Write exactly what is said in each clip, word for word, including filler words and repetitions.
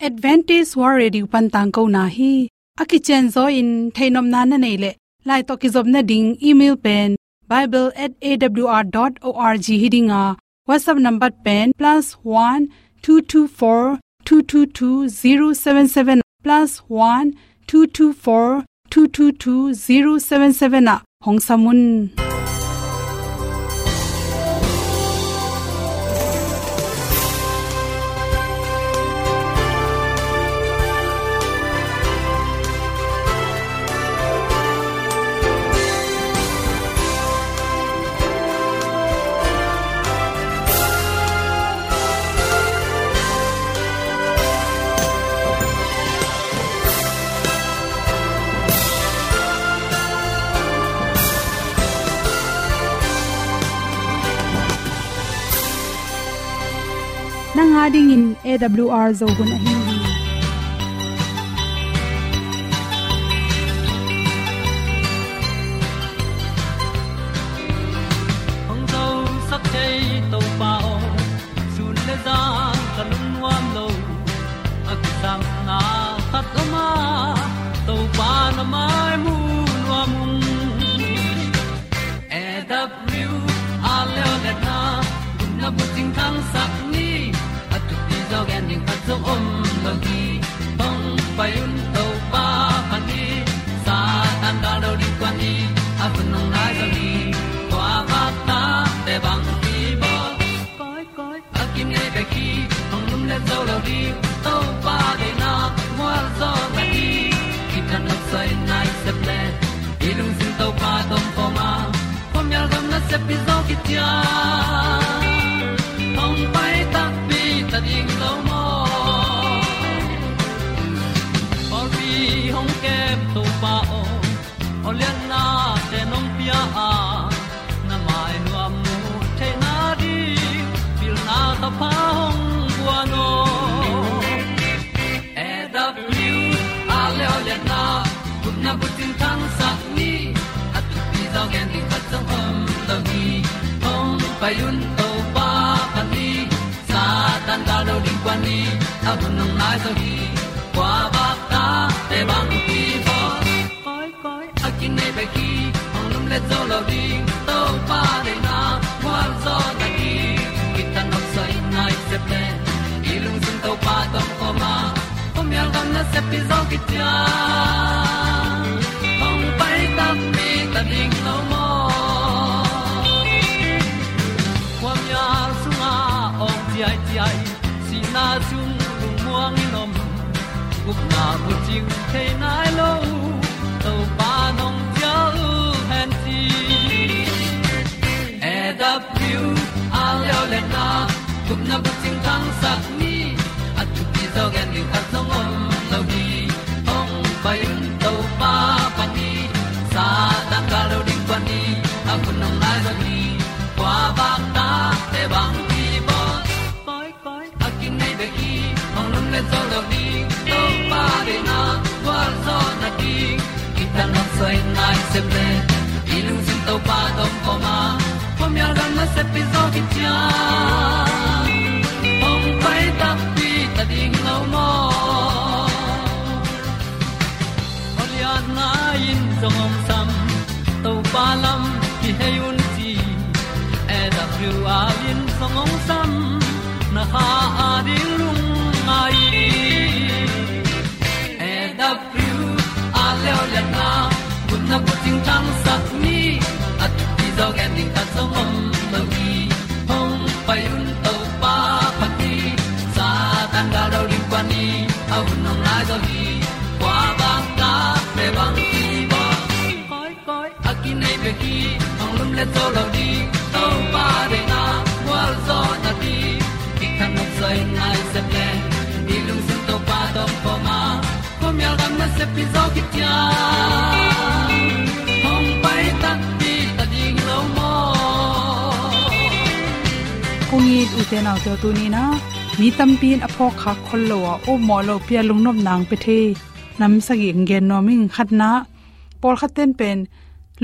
Adventist World Radio pan tangkona hi. A kicianzaw in theihnopna na neih leh, lai tawh kizopna ding email pen bible at A W R dot org hi ding a, WhatsApp number pen plus one two two four two two two zero seven seven, plus one two two four two two two zero seven seven ah hong sam un. Nang a dingin A W R Zo hun ahi hi. Hong zosak thei Topa aw, sun le zan ka lungnuam lo. A kisapna khat om a, Topa na mai mu nuam ung. A W R leo le na, gupna bucing thangsak ni, a thupi zaw gen ding khat zong om lo hi. Hong pai un Topa phat ni, Satan gal lo ding kuan ni, a hun hong nai zaw ni, kua vak ta te bang hi bawl. Koi, koi, a kim ngei bek hi, hong lum le zo lo ding, Topa deihna mual zaw na hi. Kitang nok soi nai sep le, i lungsim Topa tawh om khawm a, khuamial gam nasep pi zaw kician, hong pai takpi ta ding lo maw. Pawlpi hong kem Topa aw, aw lianna te nong pia a, na mai nuam mu theihna ding, pilna thapha hong guan aw. A W R leo le na, gupna bucing thangsak ni, a thupi zaw gen ding khat zong om lo hi. Hong pai un Topa phat ni, Satan gal lo ding kuan ni, a hun hong nai zaw hi. Kua vak ta te bang hi bawl. Koi, koi, a kim ngei bek hi, hong lum le zo lo ding, Topa deihna mual zaw na hi. Kitang nok soi nai sep le, i lungsim Topa tawh om khawm a, khuamial gam nasep pi zaw kician, hong pai takpi ta ding lo maw. Khuamial sungah awng ciaiciai, sihna sung lungmuang in om, gupna bucing thei nai lo, Topa nong cial hen ci. A W R leo le na, gupna bucing thangsak ni, a thupi zaw gen ding khat zong om lo hi. Hong pai un Topa phat ni, Satan gal lo ding kuan ni, a hun hong nai zaw hi. Kua vak ta te bang hi bawl. Koi, koi, a kim ngei bek hi, hong lum le zo lo ding, Topa deihna gualzawhna ding. Kitang nok soi nai sep le, i lungsim Topa tawh om khawm a, khuamial gam nasep pi zaw kician, hong pai takpi ta ding lo maw. Aw lianna in zong hong sam, Topa lam kihei un ci. A W R in zong hong sam, na kha a ding lungngai. A W R leo lianna, gupna bucing thangsak ni, a thupi zaw gen ding khat zong om lo hi. Hong pai un Topa phat ni, Satan gal lo ding kuan ni, a hun hong nai zaw hi. Kua vak ta te bang hi bawl. Koi, koi, a kim ngei bek hi, hong lum le zo lo ding, Topa deihna gualzawhna ding. Kitang nok soi nai sep le, i lungsim Topa tawh om khawm a, khuamial gam nasep pi zaw kician, hong pai takpi ta ding lo maw. Kong it ute naute, tuni-in ah mi tampi in a phawk khak khol lo a, upmawh lopi a lungnopna hong pia thei nam sagih hong gen nuam ing. Khatna, pawlkhat ten pen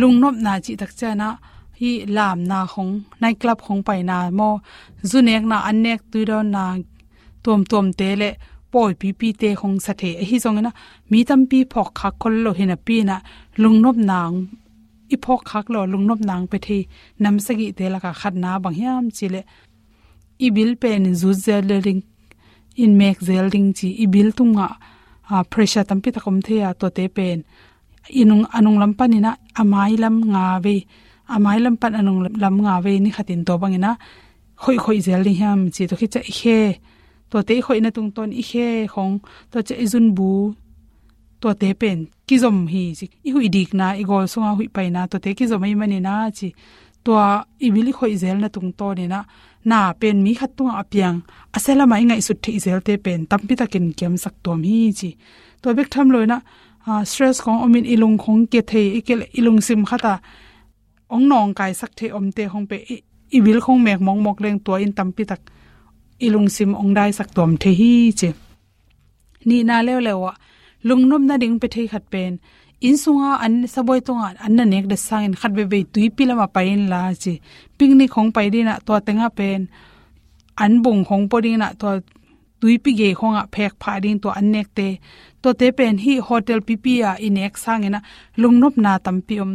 lungnopna cih tak ciangin ah hih lamna khong, night club khong paina maw, zu nekna, an nek, tui dawnna tuamtuamte le pawipipite khong sa thei. Ahi zongin ah mi tampi phawkkhak khol lo hi napi-in ah lungnopna hong, i phawkkhak lo lungnopna hong pia thei nam sagihte lakah khatna bang hiam cih leh i bil pen in zut zel ding, in mek zel ding ci, i bil tungah, ah, pressure tampi tak om thei a, tuate pen i nung, a nunglam panin ah a mailam nga vei, a mailam pan a nunglam nga vei ni khatin tua bangin ah khoih khoih zel ding hiam ci, tua khit ciang i khe, tuate i khoihna tungtawn i khe khong, tua ciang i zunbu, tuate pen kizom hi ci, i huih dikna, i gawl sunga huih paina, tuate kizom ahih manin ah ci, tua i bil i khoih zelna tungtawnin ah na pen mi khat tungah a piang, a sia lamah i ngaihsut theih zelte pen tampi takin kiamsak tuam hi ci. Tua bek tham loin ah, ah, stress khong omin i lung khong kia thei, i kia leh i lungsim khat ah hong nawngkaisak thei omte khong pen i, i bil khong mek mawkmawk leng tua in tampi tak i lungsim hong daisak tuam thei hi ci. Nihna leuleu ah lungnopna ding pia thei khat pen, inn sunga an, sabuai tungah an na nek det sangin khat veivei tuipi lamah pai inla ci. Picnic khong pai dingin ah tua tengah pen an bung khong pua dingin ah tua tuipi gei khongah phek phah ding tua an nekte. Tuate pen hih hotel pipi ah i nek sangin ah lungnopna tampi om.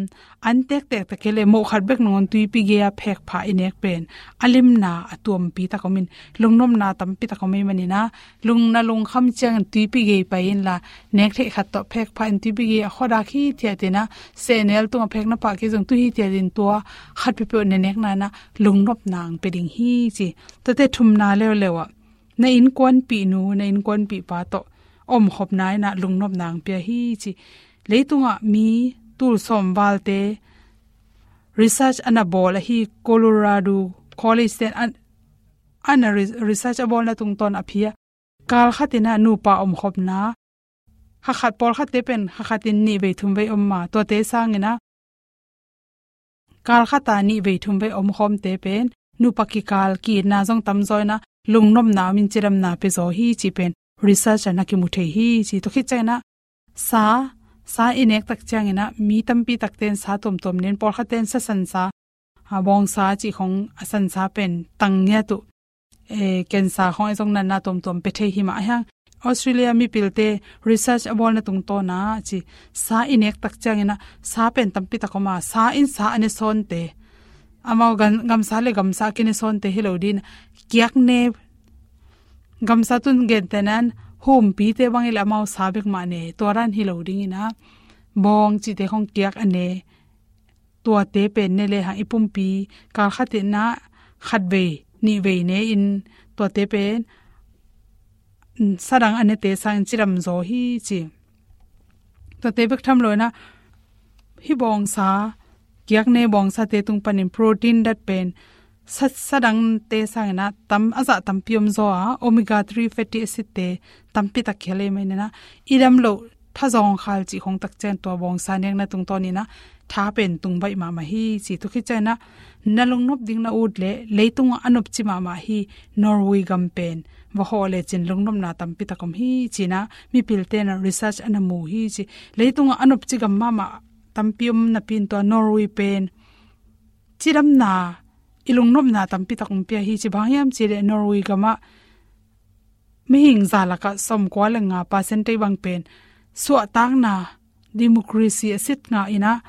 An tektek tak hi leh moh khat bek nangawn tuipi gei-a phek phah i nek pen a limna a tuampi tak omin lungnopna tampi tak om ahih manin ah, lung, na lungkham ciangin tuipi gei pai inla, nek theih khat tawh phek phah in tuipi gei a khuadak hithiatin ah, sehnel tungah phek na pah kei zong tu hithiatin tua khat peuhpeuh na nekna-in ah lungnopna hong pia ding hi ci. Tuate thumna leuleu ah na innkuanpihnu, na innkuanpihpa tawh omkhopna-in ah lungnopna hong pia hi ci. Leitungah mi tul sawm valte research a na bawl ahi Colorado College ten a, a na re-, research a bawlna tungtawn a pia. Kal khatin ah nupa omkhopna, kha khat, pawlkhatte pen kha khatin nih vei thum vei om mah, tuate sangin ah kal khat ah nih vei thum vei omkhawmte pen nupa kikal ki-itna zong tamzaw in ah lungnopna omin cidamna pia zaw hi cih pen research ah na kimu thei hi ci. Tua khit ciangin ah sa, sa i nek tak ciangin ah mi tampi takte in sa tuamtuam nen, pawlkhatte in sa sansa, a, bawngsa cih khong, a sansa pen tang ngiat uh, eh, cancer khong ahi zong natna tuamtuam pia thei hi mah ahi hang. Australia mipilte research a bawlna tungtawn ah ci, sa i nek tak ciangin ah sa pen tampi tak om a, sa in sa a ne sawnte, amau gam, gamsa le gamsa a kine sawnte hi lo dingin, kiak ne, gamsa tun gentehna-in humpite bang hi leh amau sa bek mah ne, tua dan hi lo dingin ah bawng cihte khong kiak a ne, tuate pen ne lehang i pumpi kal khatin ah khat vei nih vei ne-in tuate pen, mm, sa dang a nete sangin cidam zaw hi ci. Tuate bek tham loin ah hih bawngsa, kiak ne bawngsate tung panin protein dat pen sa, sa dangte sangin ah tam, a zah tampi om zaw a, omega three fatty acid te tampi tak khel ahih manin ah i dam loh thazawng khal cih khong tak ciang tua bawngsa nekna tungtawnin ah tha pen tung baih mahmah hi ci. Tua khit ciangin ah na lungnop ding na ut leh leitungah a nopci mahmah hi Norway gam pen va hawh lecin lungnopna tampi tak om hi ci-in ah mipilte in ah research a na mu hi ci. Leitungah a nopci gam mahmah tampi om napi-in tua Norway pen cidamna, i lungnopna tampi tak hong pia hi ci. Bang hiam cih leh Norway gamah mihing za lakah sawmkua le nga percent bang pen suahtakna, democracy a sit ngah in ah,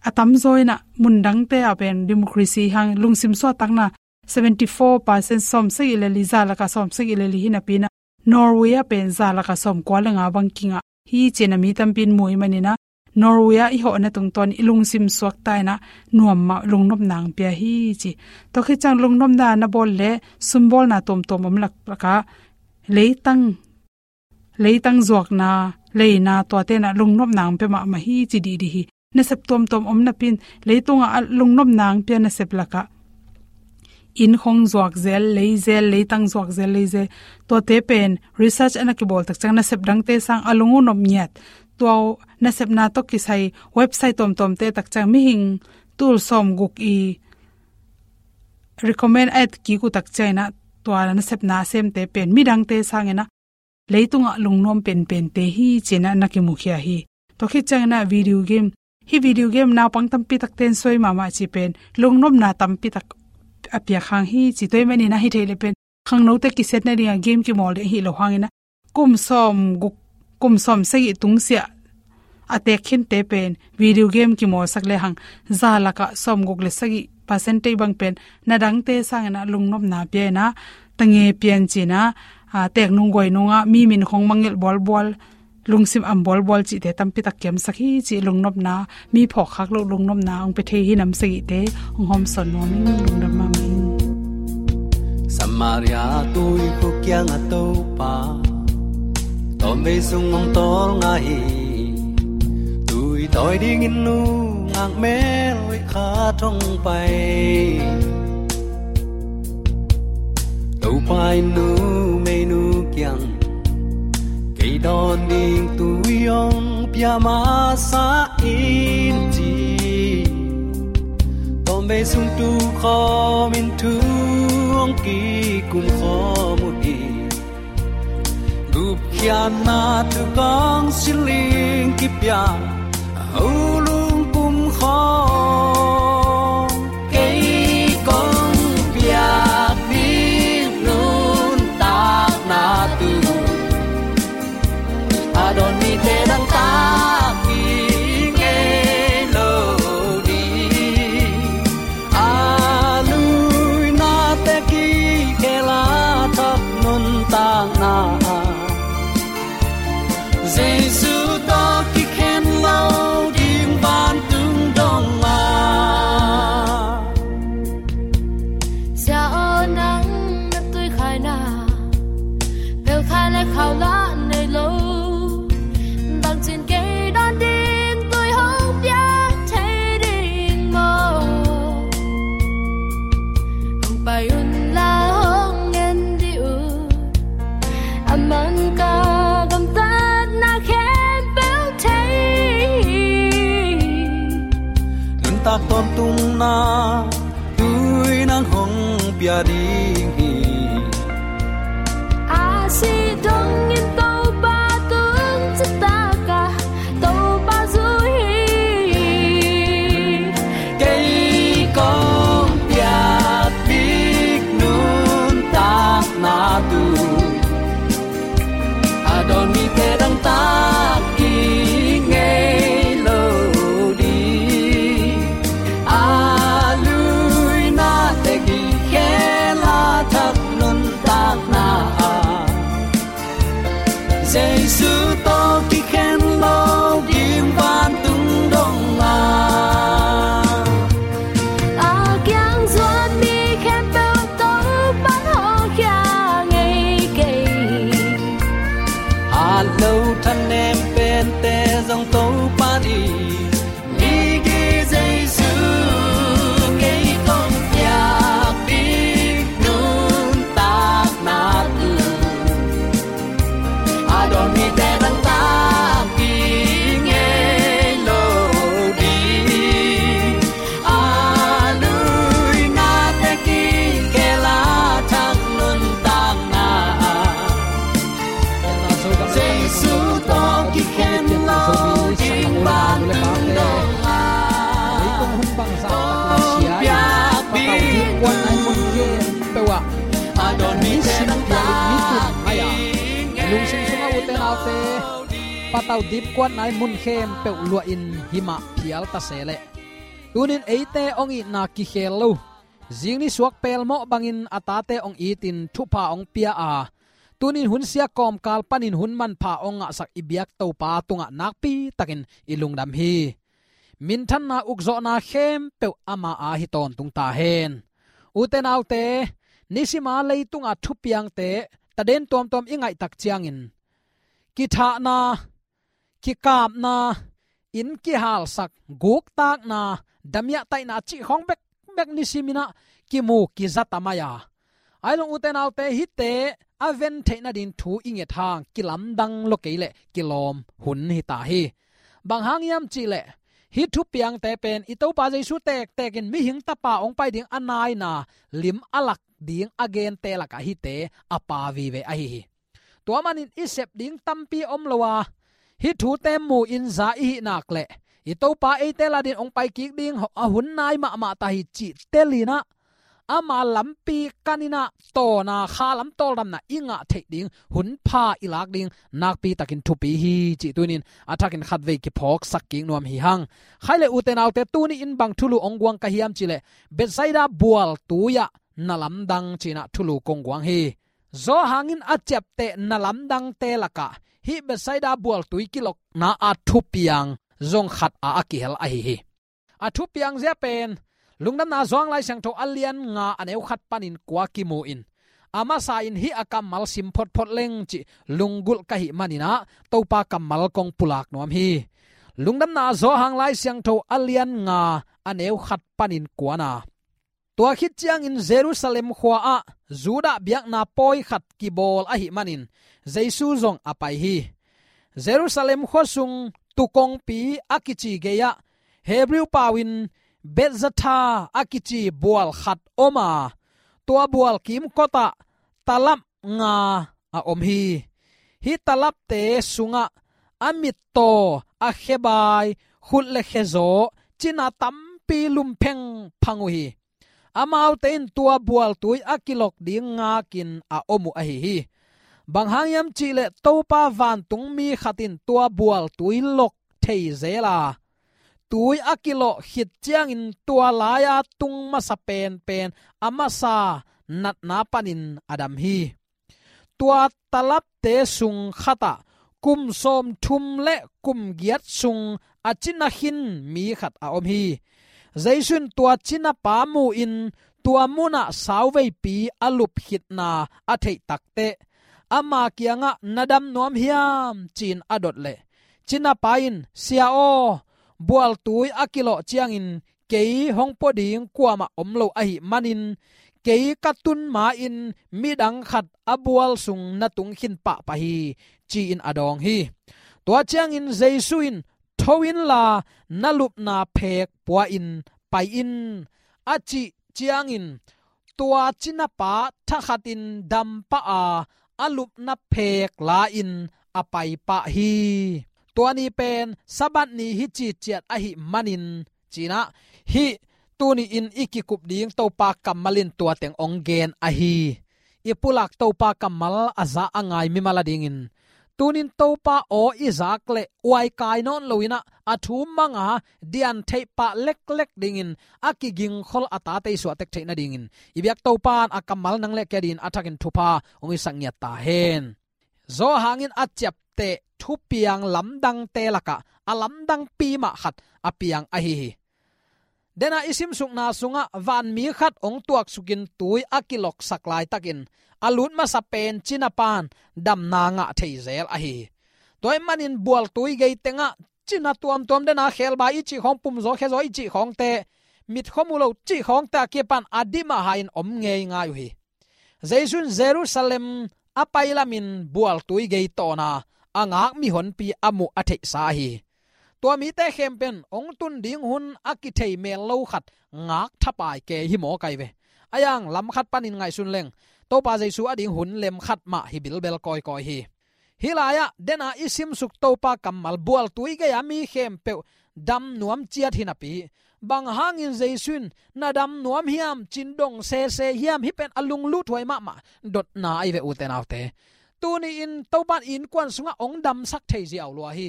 a tamzaw in ah mundangte ah pen democracy hang lungsim suahtakna seventy four percent, sawmsagih le li, za lakah sawmsagih le li hi napi-in ah Norway ah pen za lakah sawmkua le nga bang kingah hi ci-in ah mi tampi in mu ahih manin ah Norway ah i hawhna tungtawn i lungsim suakta in ah nuam mah lungnopna hong pia hi ci. Tua khit ciang lungnopna na bawl leh sumbawlna tuamtuam om laklakah leitang, leitang zuakna, leina tuate in ah lungnopna hong pia mahmah hi ci dihdih hi. Nasep tuamtuam om napi-in leitungah a lungnopna hong pia nasep lakah inn khong zuak zel, lei zel, leitang zuak zel, lei zel. Tuate pen research a na kibawl tak ciang nasep dangte sang a lung uh nop ngiat. Tua nasepna tawh kisai website tuamtuamte tak ciang mihing tul sawmguk i recommend a et kik uh tak ciangin ah tua nasepna a semte pen midangte sangin ah leitungah lungnuam penpente hi ci-in ah na kimukhia hi. Tua khit ciangin ah video game, hih video game naupang tampi takte in suai mahmah cih pen lungnopna tampi tak a piak hang hi ci. Tua ahih manin ah hi thei leh pen khangnote kisiatna dingah game kimawl ding ahi lo hangin ah kum sawm guk, kum sawm sagih tungsiah a teek khinte pen video game kimawlsak lehang za lakah sawm guk le sagih percentage bang pen na dangte sangin ah lungnopna pia in ah, tange pian ci-in ah, a, teek nung guai nungah mi min khong mangngilh bualbual, lungsim am bualbual cihte tampitak kiamsak hi cih lungnopna, mi phawkkhak loh lungnopna hong pia thei hi nam sagihte hong hawmsawn nuam ing. Lungdam mahmah ing. Samaria tuikhuk kiangah Topa tawmvei sung hong tawlnga hi. Tui tawi dingin nungak mel hoih khat hong pai. Topa in numeinu kiang, kei dawn ding tui hong pia masa in ci. Tawmvei sung tu khawmin thu hong kikum khawm uh hi. Gupkhiatna thu kong siling kipia, a ho lungkum khawm, kei kong piak ding nuntakna thu a dawn mite dangtak ding ngei lo ding. A luinate kikhel a thak nuntakna Jesu tawh kikhen lo ding vantung dongah. Sia aw, nang na tuikhaina pelkhai le khau lah nei lo. Bangcin kei dawn ding tui hong piak thei ding maw? Hong pai un la, hong en dih un. A man ka gamtatna khempeuh thei. Nuntak tawntungna tui nang hong pia ding hi. A sih dongin Topa tung citak a Topa zui hi. Kei kong piak ding nuntakna thu a dawn mite dangtak ding ngei lo ding. A luinate kikhel a thak nuntakna ah Jesu tawh kikhen lo ding vantung dongah. A kiang zuan mi khempeuh Topa'n hawlkhia ngei kei. Hat lo thanem pente zong Topa in, migi Jesu kei kong piak ding nuntakna thu a dawn mite dangtak ding ngei lo ding. A luinate kikhel a thak nuntakna ah Jesu tawh kikhen lo ding vantung dongah. Hong piak ding nuntakna a dawn mite dangtak ding ngei lo ding. Lungsim sungah ute naute, patau dipkuatna i mun khempeuh luahin himah phial ta se leh, tunin eite hong itna kikhel lo, zingni suak pelmawh bangin a tate hong itin thupha hong pia a, tunin hunsia kawmkal panin hun manpha hong ngahsak i biak Topa tungah nakpitakin i lungdam hi. Minthanna ukzawhna khempeuh ama a hi tawntung ta hen. Ute naute, nisima leitunga thupiangte taden tuamtuam i ngaihtak ciangin kithahna, kikapna, inn kihalsak, guktakna, damiahtaihna cih khawng bekbek nisimin ah kimu kiza ta mai a. Ahi zong ute naute, hihte a ven theih nading thu i nget hang kilamdang lua kei leh kilawm hun hi ta hi. Bang hang hiam cih leh, hih thupiangte pen i Topa Jesu tektek in mihing tapa hong pai ding a naina lim a lak ding a gente lakah hihte a pa vive ahi hi. Tua manin i sep ding tampi om lo a, hih thute mu-in za i hih nak leh i Topa eite ladin hong pai kik ding a hun nai mahmah ta hi cih telin ah, ama lampi kanin ah tawna kha lam tawldamna i ngah theih ding hun pha i lak ding nakpi takin thupi hi cih tuni-in a thakin khatvei kiphawksak kik nuam hi hang. Khaile ute naute, tuni-in bang thulu hong guang ka hiam cih leh Bethsaida bual tui-ah na lamdang ci-in ah thulu kong guang hi. Zawhang in a ciapteh na lamdangte lakah hih Bethsaida bual tui kilokna a thupiang zong khat a a kihel ahi hi. A thupiang zia pen Lungdamna Zawhang Lai Siangtho a lian nga a neu khat panin kua kimu in, a masa in hih a kammal sim photphot leng cih lunggulh ka hih manin ah Topa kammal kong pulak nuam hi. Lungdamna Zawhang Lai Siangtho a lian nga a neu khat panin kuana. Tua khit ciangin Jerusalem khua-ah Judah biakna pawi khat kibawl ahih manin Jesu zong a pai hi. Jerusalem khua sung Tuu Kongpi a kici gei-ah Hebrew pau-in Bethzatha a kici bual khat om a, tua bual kimkotah talap nga a om hi. Hih talapte sungah a mittaw, a khebai, khut le khezaw, cina tampi lum phengphang uh hi. Amaute in tua bual tui a kilok ding ngakin a om uh ahi hi. Bang hang hiam cih leh Topa vantungmi khat in tua bual tui lok thei zel a, tui a kilok khit ciangin tua lai-a tung masa penpen a masa natna panin a dam hi. Tua talapte sung khatah kum sawmthum le kum giat sung a cina khin mi khat a om hi. Jesu in tua cinapa mu-in tua munah sauveipi a lup khitna a theih takteh ama kiangah, "Na dam nuam hiam?" ci-in a dot leh, cinapa in, "Sia aw, bual tui a kilok ciangin kei hong pua ding kuamah om lo ahih manin, kei ka tun ma-in midang khat a bual sung na tung khin pahpah hi," ci-in a dawng hi. Tua ciangin Jesu in, "Tho inla, na lupna phek pua-in pai in," a cih ciangin tua cinapa thakhatin dampah a, a lupna phek la-in a paipah hi. Tua ni pen Sabbath ni hi ciciat ahih manin, ci-in ah hih tuni-in i kikup ding Topa kammal in tua teng hong gen ahi. I pulak Topa kammal a za a ngai mimal a dingin, tunin Topa aw i zak leh uaikai nawn loin ah, a thu mang a, dian theih pah leklek dingin, a kigingkhol a tate i suahtek theih nadingin i biak Topa in a kammal nang le kei adingin a thakin thupha hong hisak ngiat ta hen. Zawhang in a ciapteh thupiang lamdangte lakah a lamdangpi mah khat a piang ahi hi. Dena i simsukna sungah vanmi khat hong tuaksukin tui a kiloksak laitakin a lut masa pen cinapa in damna ngah thei zel ahi hi. Tua ahih manin bual tui gei tengah cina tuamtuam, dena khebai i cih khawng, pumzaw khezaw i cih khawngte, mitkhuamu lo cih khawngte a kipan a dim a ha-in om ngeingai uh hi. Jesu in Jerusalem a pai lamin bual tui gei tawna a ngak mihonpi a muh a theihsa ahi hi. Tua mite khempeuh in hong tun ding hun a kithei mel lo khat ngak thapai kei hi mawk ahi ve. A yang lam khat panin ngaihsun leng, Topa Jesu a ding hun lem khat mah hi bilbel kawikawi hi. Hih lai-ah dena i simsuk Topa kammal, bual tui gei-a mi khempeuh dam nuam ciat hi napi, bang hangin Jesu in, "Na dam nuam hiam?" ci-in dong sese hiam? Hih pen a lunglut huai mahmah dotna ahi ve, ute naute. Tuni-in Topa in innkuan sungah hong damsak thei ziau lua hi.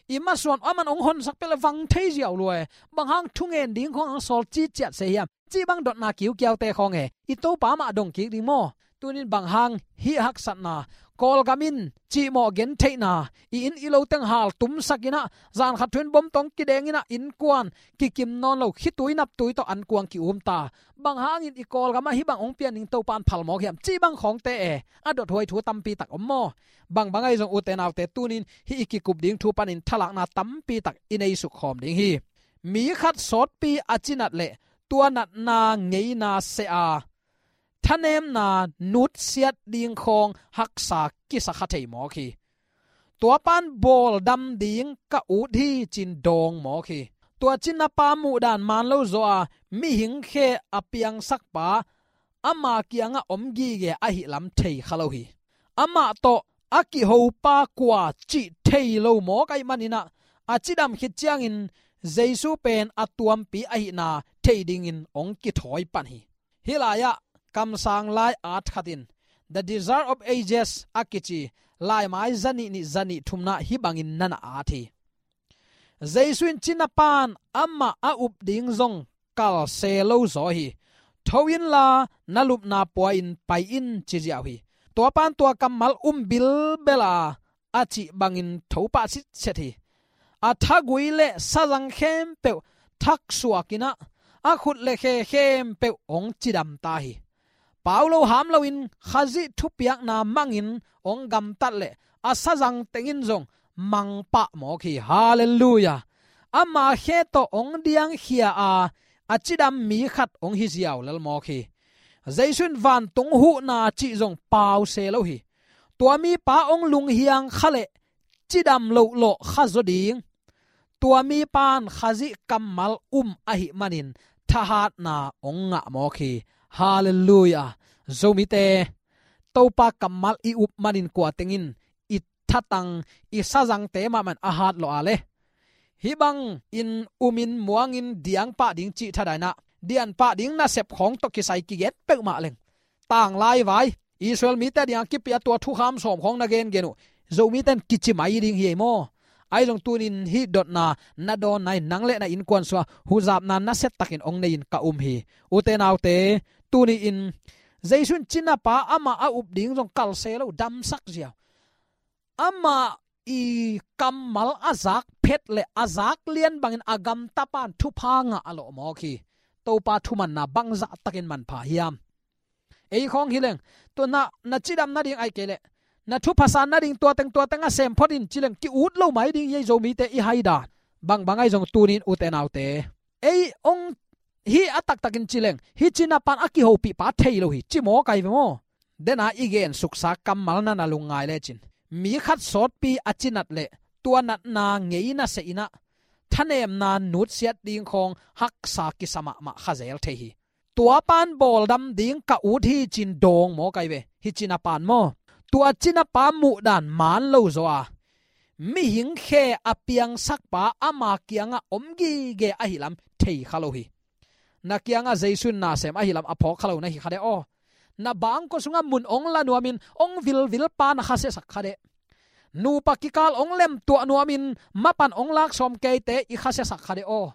I masuan aman hong honsak peuh leh vang thei ziau lua hi. Bang hang thungen ding khawng hong sawl ciciat se hiam? Cih bang dotna kiukiaute khawng e, i Topa mah dong kik ding maw? Tunin bang hang hih haksatna, Kawlgam in cihmawh gentheihna, i inn i lo teng haltumsak in ah, zan khat thu-in bom tawh kideng in ah, innkuan kikim nawn lo, khitui naptui tawh ankuang ki-um ta. Bang hangin i Kawlgam ah hih bang hong pian ding Topa in phal mawk hiam? Cih bang khawngte e, a dot huai thu tampi tak om maw? Bang bang ahi zong, ute naute, tunin hih i kikup ding thu panin thalakna tampi tak i nei suk khawm ding hi. Mi khat sawtpi a cinat leh tua natna ngeina seh a, thanemna nutsiat ding khawng haksa kisa kha thei mawk hi. Tua pan bawl dam ding ka ut hi ci-in dawng mawk hi. Tua cinapa muhdan man lo zaw a, mihing khe a piangsakpa ama kiangah om gige ahih lam thei kha lo hi. Amah tawh a kihopa kua cih thei lo mawk ahih manin ah, a cidam khit ciangin Jesu pen a tuampi ahihna thei dingin hong kithawi pan hi. Hih lai-ah kamsang lai at khat in The Desire of Ages a kici laimai zanih nih zanih thumna hih bangin na na at hi. Jesu in cina pan amah a up ding zong kal se lo zaw hi. Tho inla na lupna pua-in pai in ci ziau hi. Tua pan tua kammal um bilbel a, a cih bangin tho pah sitset hi. A thagui le sazang khempeuh thaksuak in ah, a khut le khe khempeuh hong cidam ta hi. Pau lo ham loin Khazih thupiakna mangin hong gamtat leh a sazang tengin zong mang pah mawk hi. Halleluiah. Ama khe tawh hong diangkhia a, a cidam mi khat hong hi ziau lel mawk hi. Jesu in vantung huhna cih zong pau se lo hi. Tua mipa hong lunghiang kha leh cidam lohlawh kha zaw ding. Tua mipan Khazih kammal um ahih manin thahatna hong ngah mawk hi. Halleluiah. Zomite, Topa kammal i up manin kua tengin i thatang, i sazangte mahmah in a hat lawh a le, hih bangin umin muangin diang pah ding cih thadaina, diang pah ding nasep khawng tawh kisai kigen peuhmah leng, tanglai vai Israel mite dingah kipia tua thukham sawm khawng na gengen uh, Zomite in kici mai ding hi ei maw? Ahi zong tunin hih dotna na dawnna in nang le na innkuan sungah huzapna nasia takin hong nei-in ka um hi. Ute naute, tuni-in Jesu in cinapa amah a up ding zong kal se lo, damsak ziau. Amah i kammal a zak phet le a zak lian bangin a gamtapan thupha ngah a lawh mawk hi. Topa thumanna bangzah takin manpha hiam? Ei khawng hi leng, tua na, na cidam nading ahih kei leh na thupha san nading tua teng tua teng a sem phot in ci leng ki-ut lo mai ding hi ei Zomite i hai dan. Bangbang ahi zong tunin ute naute, ei hong hi a taktakin ci leng, hih cinapan a kihopihpa thei lo hi ci mawk ahi ve maw? Dena i gensuksa kammal na na lungngai lecin, mi khat sawtpi a cinat leh tua natna ngei nasia in ah thanemna nutsiat ding khawng haksa kisa mahmah kha zel thei hi. Tua pan bawldam ding ka ut hi cin dawng mawk ahi ve, hih cinapan maw? Tua cinapa muhdan maan lo zaw a, mihing khe a piangsakpa ama kiangah om gige ahi lam thei kha lo hi. Na kiangah Jesu in na sem ahi lam a phawk kha lo na hi kha deh aw. Na bangkua sungah mun hong la nuamin hong vilvilpa na khasiasak kha deh. Nupa kikal hong lemtuah nuamin mapan hong lak sawm keite i khasiasak kha deh aw.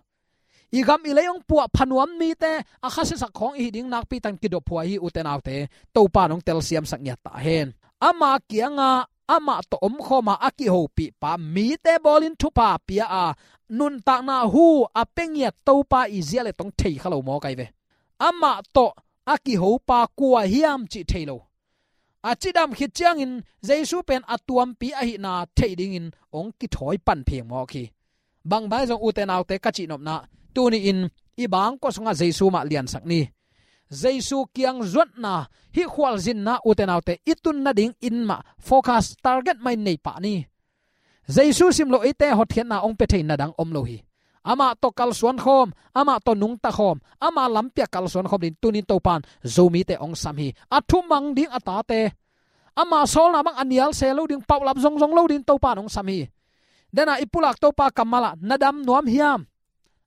I gam i lei hong puahpha nuam mite a khasiasak khawng i hih ding nakpi takin kidophuai hi ute naute. Topa in hong telsiamsak ngiat ta hen. Ama kiangah amah tawh omkhawma a kihopihpa mite bawlin thupha pia a, nuntakna hu a pia ngiat Topa i zia le tong thei kha lo mawk ahi ve. Amah tawh a kihopa kua hiam cih thei lo. A cidam khit ciangin Jesu pen a tuampi ahihna theih dingin hong kithawi pan pheng mawk hi. Bangbang ahi zong ute naute ka cihnopna, tuni-in i bangkua sungah Jesu mah liansak ni. Jesu kiang zuatna, hih khualzinna ute naute i tun nadingin mah focus target mah in nei pah ni. Jesu simloh eite hotkhiatna hong pia thei na dang om lo hi. Amah tawh kalsuan khawm, amah tawh nungta khawm, ama lampi-ah kalsuan khawm dingin tunin Topa in Zomite hong sam hi. A thumang ding a tate, ama sawlna bang a nial se lo ding, paulap zongzong lo dingin Topa in hong sam hi. Dena i pulak Topa kammal ah na dam nuam hiam?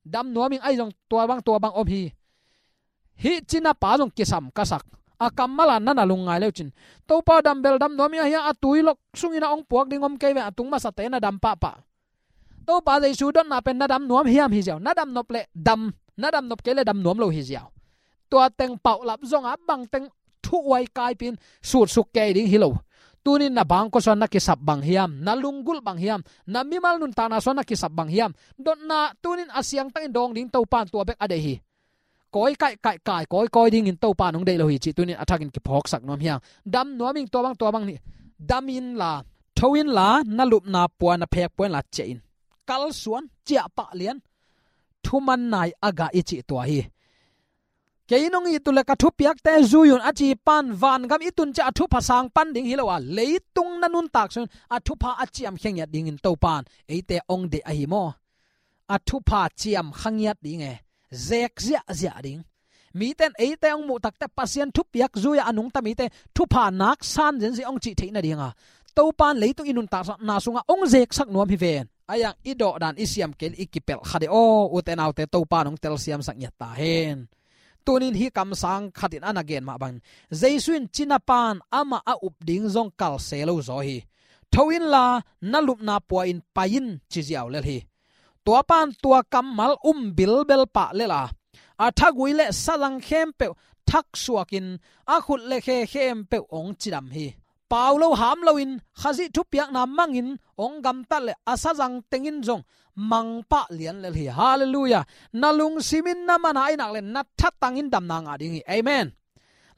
Dam nuam ing, ahi zong tua bang tua bang om hi. Hih cinapa zong kisam ka sak. A kammal ah na na lungngai leu cin, Topa, dambel dam nuam ing, ahi a tui lok sungin a hong puak ding om kei ve, a tung masate na dam pahpah. Topa Jesu dotna pen na dam nuam hiam hi ziau. Na dam nop leh dam, na dam nop kei leh dam nuam lo hi ziau. Tua teng paulap zonga bang teng thu uai kaipi in sutsuk kei ding hi lo. Tunin na bangkua sungah na kisap bang hiam, na lunggulh bang hiam, na mimal nuntakna sungah na kisap bang hiam? Dotna tunin a siangtakin dawng ding Topa in tua bek a deih hi. Kawi kaih kaih kai kawi kawi dingin Topa in hong deih lo hi cih tunin a thakin kiphawksak nuam hi hang. Dam nuam ing, tua bang tua bang ni. Dam inla, tho inla, na lupna pua, na phek pua inla ciah in. Kalsuan, ciah pah lian. Thuman nai a gah i cih tua hi. Kei nong it uh leh ka thupiakte zui un a ci pan vangam i tun ciang a thupha sang pan ding hi lo a, leitung na nuntak sungin a thupha a ciamkhia ngiat dingin Topa in eite hong deih ahi maw? A thupha ciamkha ngiat ding e, zek ziahziah ding. Mite in eite hong muh tak teh Pasian thupiak zui-a a nungta mite thupha nak san zenzen hong cih theih nadinga Topa in leitung i nuntakna sungah hong zeksak nuam hi ven. Ahi hang i dawhdan i siam kei leh i kipelh kha ding aw, ute naute, Topa in hong telsiamsak ngiat ta hen. Tunin hih kamsang khat in a na gen mah bangin Jesu in cina pan amah a up ding zong kal se lo zaw hi. Tho inla na lupna pua in pai in ci ziau lel hi. Tua pan tua kammal um bilbel pah lel a, a thagui le sazang khempeuh thaksuakin a khut le khe khempeuh hong cidam hi. Pau lo ham loin Khazih thupiakna mangin hong gamtat le a sazang tengin zong mangpah lian lel hi. Halleluiah. Na lungsimin na mana ahi nak le na thatangin damna ngah ding hi. Amen.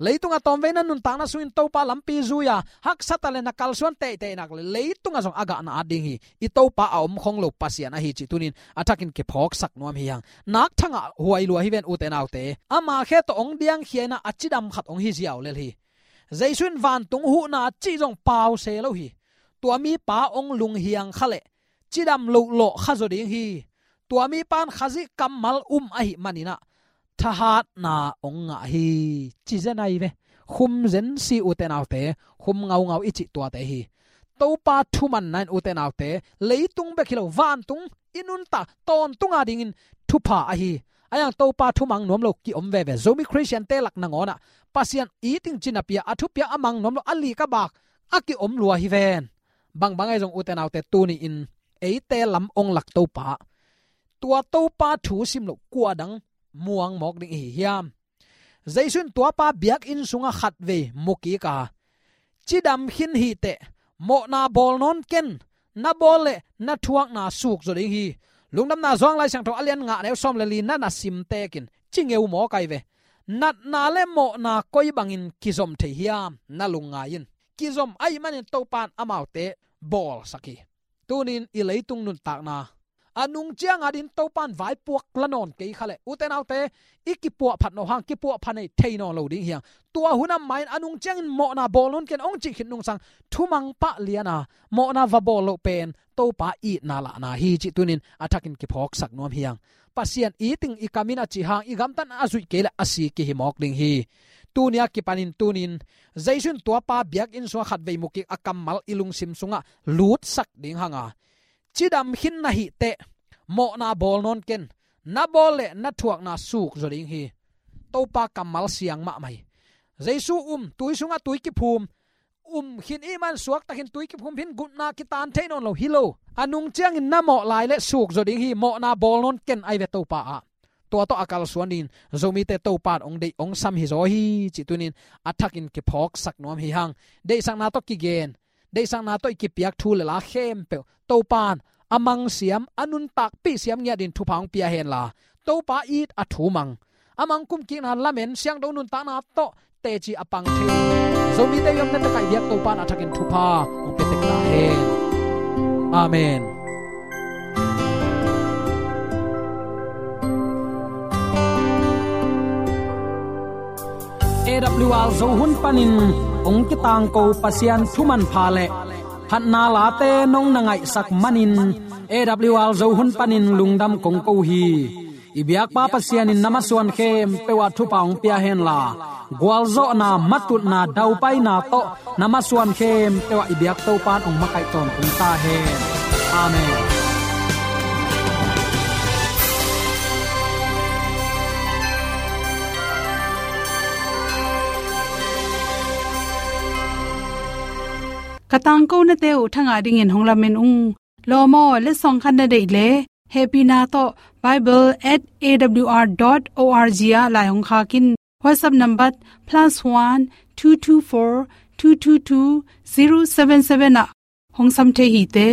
Leitung a tawmvei na nuntakna sungin Topa lampi zui-a haksat a le na kalsuan teitei nak le leitung a zong a gah na at ding hi. I Topa a om khong lo Pasian ahi cih tunin a thakin kiphawksak nuam hi hang. Nak thangah huai lua hi ven ute naute. Ama khe tawh hong diangkhia in a cidam khat hong hi ziau lel hi. Jesu in vantung huhna cih zong pau se lo hi. Tua mipa hong lunghiang kha le cidam loh lawh kha zaw ding hi. Tua mipa in Khazih kammal um ahih manin a thahatna hong ngah hi. Ci zen ahi ve. Khum zen si ute naute, khum ngaungau i cih tuate hi. Topa thumanna in ute naute, leitung bek hi lo, vantung i nuntak tawntung a dingin thupha ahi. Ahi hang Topa thumang nuam lo kiom veve. Zomi Khristiante lak nangawn ah Pasian it ing ci napi-a a thupiak a mang nuam lo, a lik a bak a kiom lua hi ven. Bangbang ahi zong ute naute, tuni-in eite lam hong lak Topa, tua Topa thu sim loh kua dang muang mawk ding i hi hiam? Jesu in tuapa biakinn sungah khatvei mu kik a, cidam khin hi teh, mawhna bawl nawn ken, na bawl le na thuakna suk zaw ding hi. Lungdamna Johan Lai Siangtho a lian nga, neu sawm le li na na sim tekin ci ngeu mawk ahi ve. Natna le mawhna koi bangin kizom thei hiam? Na lungngai in. Kizom ahih manin Topa in amaute bawlsak hi. Tunin i leitung nuntakna a nung ciang a dingin Topa in vaipuak la nawn kei kha le, ute naute, i kipuahphat nawh hang, kipuahphat nei thei nawn lo ding hi hang. Tua hun a mah in a nung ciangin mawhna bawl nawn ken hong cih khit nungsang thumang pah lian a, mawhna va bawl loh pen Topa itna lahna hi cih tunin a thakin kiphawksak nuam hi hang. Pasian it ing i kam in a cih hang, i gamtatna a zuih kei le a si kihi mawk ding hi. Tuni a kipanin tunin Jesu in tuapa biakinn sungah khatvei mu kik a kammal i lungsim sungah lutsak ding hang a, cidam khin na hi teh, mawhna bawl nawn ken, na bawl le na thuakna suk zaw ding hi. Topa kammal siang mahmah hi. Jesu um, tui sungah tui kiphum, um khin i hih man suaktakin tui kiphum hi-in gupna kitan thei nawn lo hi lo. A nung ciangin na mawh lai le suk zaw ding hi, mawhna bawl nawn ken ahi ve Topa ah. Tua tawh a kalsuan dingin Zomite Topa in hong deih hong sam hi zaw hi cih tunin a thakin kiphawksak nuam hi hang. Deihsakna tawh kigen, deihsakna tawh i kipiak thu le la khempeuh Topa in a mang siam, a nuntakpih siam ngiat dingin thupha hong pia hen la, Topa it a thu mang, a mang kumkikna lamen, siangtho nuntakna tawh teci a pang thei Zomite i omna tekah i biak Topa in a thakin thupha hong pia tek ta hen. Amen. A W R Zo hun panin hong kitangko Pasian thu manpha le phatna late nong na ngaihsak manin A W R Zo hun panin lungdam kong ko hi. I biakpa Pasian in na masuan khempeuh ah thupha hong pia hen la, gualzawhna, matutna, daupaina tawh na masuan khempeuh ah i biak Topa in hong makaih tawntung ta hen. Amen. Ka tangkonate uh thangah dingin hong lamen ung. Lawm aw, letsong khat na deih le hehpihna tawh bible at A W R dot org ah lai hong khak in. WhatsApp number plus one two two four two two two zero seven seven ah hong sam thei hi te.